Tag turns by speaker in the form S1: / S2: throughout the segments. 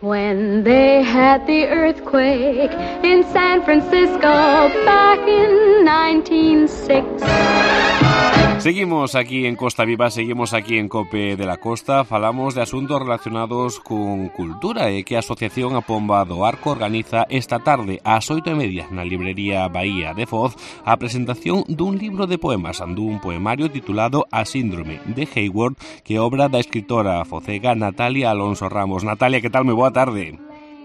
S1: When they had the earthquake in San Francisco back in 1906.
S2: Seguimos aquí en Costa Viva, seguimos aquí en COPE de la Costa. Falamos de asuntos relacionados con cultura e que a Asociación A Pomba do Arco organiza esta tarde ás 8:30 na librería Bahía de Foz a presentación dun libro de poemas, dun poemario titulado A Síndrome de Hayward, que é obra da escritora focega Natalia Alonso Ramos. Natalia, que tal? Moi boa tarde.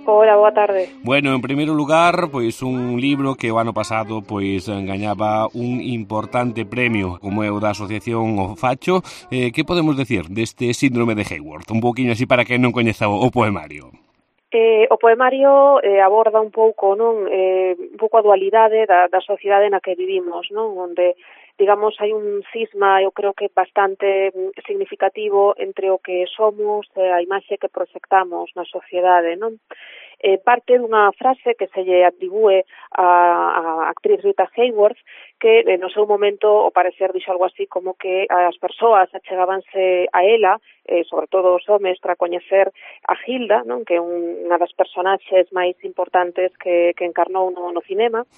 S3: Hola, boa tarde.
S2: Bueno, en primeiro lugar, pois un libro que o ano pasado pois gañaba un importante premio como é o da Asociación O Facho. Que podemos decir deste síndrome de Hayward? Un pouquiño así para que non coñeza o poemario.
S3: O poemario aborda un pouco, non, un pouco a dualidade da sociedade na que vivimos, non, onde digamos hai un cisma, eu creo que bastante significativo entre o que somos e a imaxe que proxectamos na sociedade, non? Parte dunha frase que se lle atribúe a actriz Rita Hayworth, que no seu momento, ao parecer, dixo algo así como que as persoas achegábanse a ela, sobre todo os homes, para coñecer a Hilda, non, que é unha das personaxes máis importantes que encarnou no cinema,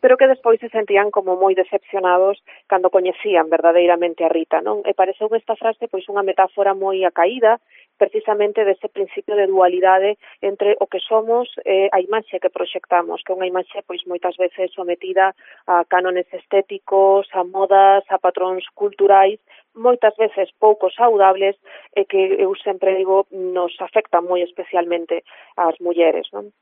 S3: pero que despois se sentían como moi decepcionados cando coñecían verdadeiramente a Rita, non? E pareceu esta frase pois unha metáfora moi acaída, precisamente dese principio de dualidade entre o que somos e a imaxe que proxectamos, que é unha imaxe pois moitas veces sometida a cánones estéticos, a modas, a patróns culturais, moitas veces pouco saudables e que eu sempre digo nos afectan moi especialmente ás mulleres, non?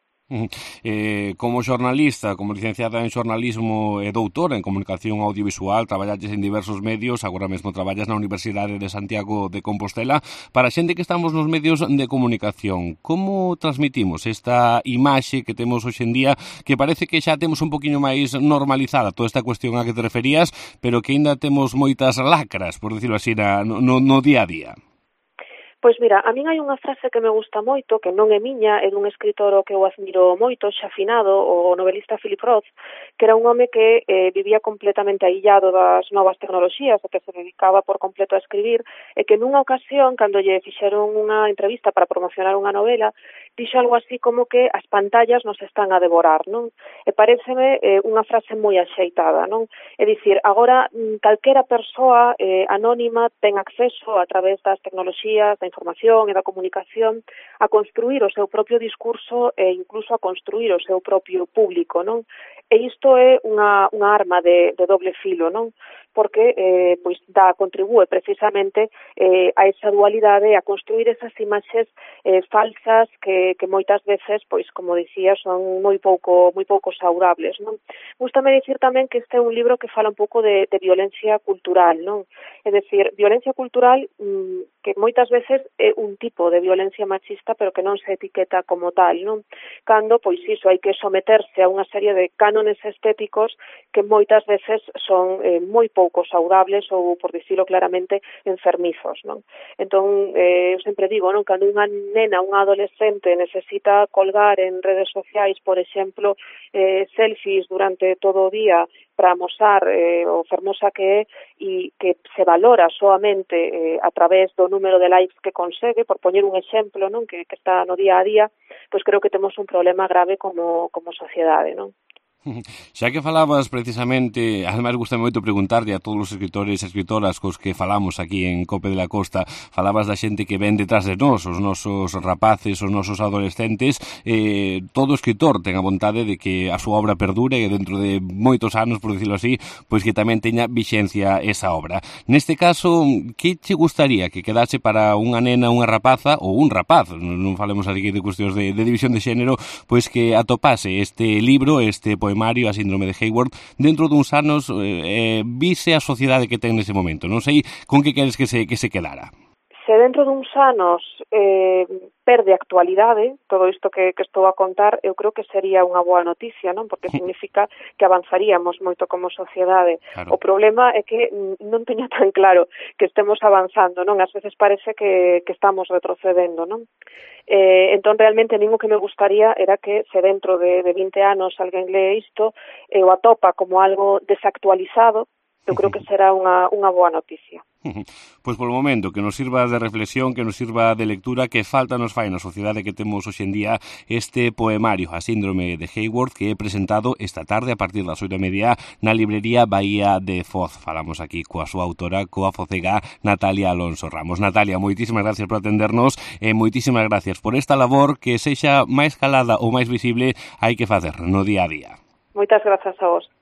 S2: Como xornalista, como licenciada en xornalismo e doutora en comunicación audiovisual, traballalles en diversos medios, agora mesmo traballas na Universidade de Santiago de Compostela. Para a xente que estamos nos medios de comunicación, como transmitimos esta imaxe que temos hoxe en día, que parece que xa temos un poquinho máis normalizada toda esta cuestión a que te referías, pero que ainda temos moitas lacras, por decirlo así, no día a día?
S3: Pois mira, a min hai unha frase que me gusta moito, que non é miña, é dun escritor que eu admiro moito, xa finado, o novelista Philip Roth, que era un home que vivía completamente aillado das novas tecnoloxías, e que se dedicaba por completo a escribir, e que nunha ocasión, cando lle fixeron unha entrevista para promocionar unha novela, dixo algo así como que as pantallas nos están a devorar, non? E pareceme unha frase moi axeitada, non? É dicir, agora calquera persoa anónima ten acceso a través das tecnoloxías, da información e da comunicación a construir o seu propio discurso e incluso a construir o seu propio público, non? E isto é unha arma de doble filo, non? Porque pois contribúe precisamente a esa dualidade, a construir esas imaxes falsas que moitas veces, pois como dicía, son moi pouco saudables, non? Gústame dicir tamén que este é un libro que fala un pouco de violencia cultural, non? É dicir, violencia cultural que moitas veces é un tipo de violencia machista, pero que non se etiqueta como tal, non? Cando, pois iso, hai que someterse a unha serie de cánones estéticos que moitas veces son moi pouco saudables ou, por dicilo claramente, enfermizos, non? Entón, eu sempre digo, non, cando unha nena, unha adolescente necesita colgar en redes sociais, por exemplo, selfies durante todo o día para amosar o fermosa que é e que se valora soamente a través do número de likes que consegue, por poñer un exemplo, non, que está no día a día, pois creo que temos un problema grave como sociedade, non?
S2: Xa que falabas precisamente, ademais gusta moito preguntarle a todos os escritores e escritoras cos que falamos aquí en Cope de la Costa, falabas da xente que ven detrás de nós, os nosos rapaces, os nosos adolescentes, todo escritor ten a vontade de que a súa obra perdure e dentro de moitos anos, por decirlo así, pois que tamén teña vixencia esa obra. Neste caso, que che gustaría que quedase para unha nena, unha rapaza ou un rapaz, non falemos aquí de cuestións de división de xénero, pois que atopase este libro, este poemario, A Síndrome de Hayward, dentro duns anos vise a sociedade que ten nese momento? Non sei con que queres que se quedara.
S3: Se dentro duns anos perde actualidade, todo isto que estou a contar, eu creo que sería unha boa noticia, non? Porque significa que avanzaríamos moito como sociedade. Claro. O problema é que non teño tan claro que estemos avanzando, non? Ás veces parece que estamos retrocedendo, non? Entón, realmente, o que me gustaría era que se dentro de 20 anos alguén lee isto e o atopa como algo desactualizado, eu creo que será unha boa noticia.
S2: Pois polo momento, que nos sirva de reflexión, que nos sirva de lectura, que falta nos fai na sociedade que temos hoxe en día este poemario, A síndrome de Haworth, que é presentado esta tarde a partir das 8:30 na librería Bahía de Foz. Falamos aquí coa súa autora, coa focega Natalia Alonso Ramos. Natalia, moitísimas gracias por atendernos e moitísimas gracias por esta labor que sexa máis calada ou máis visible hai que facer no día a día.
S3: Moitas grazas a vos.